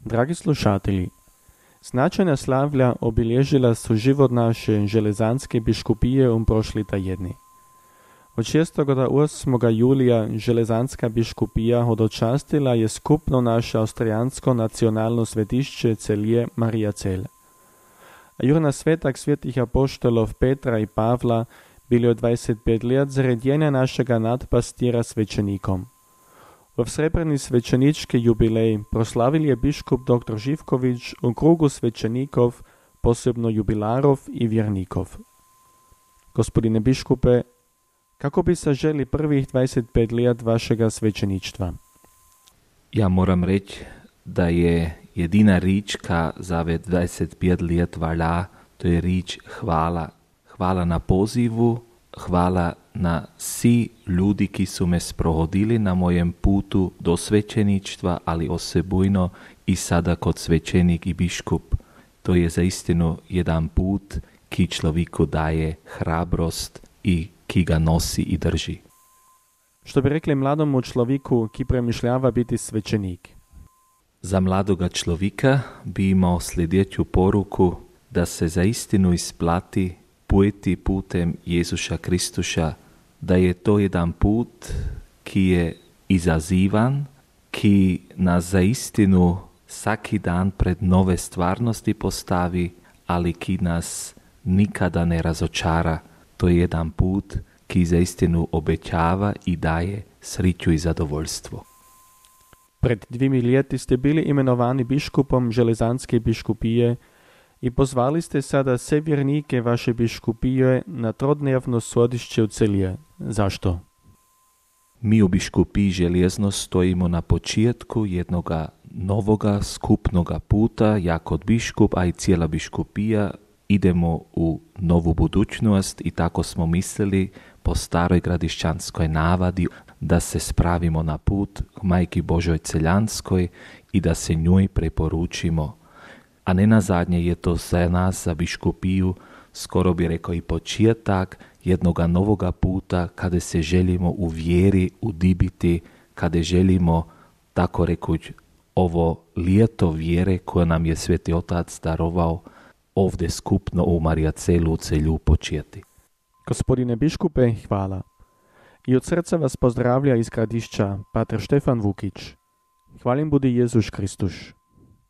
Dragi slušatelji, značajna slavlja obilježila su život naše železanske biškupije prošli tjedni. Od 6. do 8. julija železanska biškupija hodočastila je skupno naše austrijansko nacionalno svetišće Celje Mariacel. A jurna svetak svetih apoštolov Petra i Pavla bili od 25 let zredjenja našega nadpastira svećenikom. V srebrni svećenički jubilej proslavili je biškup dr. Živković u krugu svećenikov, posebno jubilarov i vjernikov. Gospodine biškupe, kako bi saželi prvih 25 let vašega svećeništva? Ja moram reći da je jedina rič, ka za 25 let valja, to je rič hvala. Hvala na pozivu, hvala na vsi ljudi, ki su me sprohodili na mojem putu do svećeništva, ali osebujno i sada kod svećenik i biškup. To je zaistinu jedan put ki človeku daje hrabrost i ki ga nosi i drži. Što bi rekli mladomu človeku, ki premišljava biti svećenik? Za mladoga človeka bi imao sljedeću poruku da se zaistinu isplati pojeti putem Jezuša Kristuša, da je to jedan put ki je izazivan, ki nas zaistinu svaki dan pred nove stvarnosti postavi, ali ki nas nikada ne razočara. To je jedan put ki zaistinu obećava i daje sriću i zadovoljstvo. Pred 2 leti ste bili imenovani biškupom železanske biškupije i pozvali ste sada sve vjernike vaše biškupije na trodnevno svodišće u Celje. Zašto? Mi u biškupiji Željezno stojimo na početku jednoga novoga skupnoga puta, ja kod biškup, a i cijela biškupija idemo u novu budućnost i tako smo mislili po staroj gradišćanskoj navadi da se spravimo na put k Majki Božoj Celjanskoj i da se njoj preporučimo. A ne na zadnje je to za nas, za biškupiju, skoro bi rekao i početak jednoga novoga puta kada se želimo u vjeri udibiti, kada želimo, tako rekuć, ovo ljeto vjere koje nam je Sveti Otac darovao ovdje skupno u Mariacelu u Celju početi. Gospodine biškupe, hvala. I od srca vas pozdravlja iz Gradišća pater Štefan Vukić. Hvalim budi Jezus Kristus.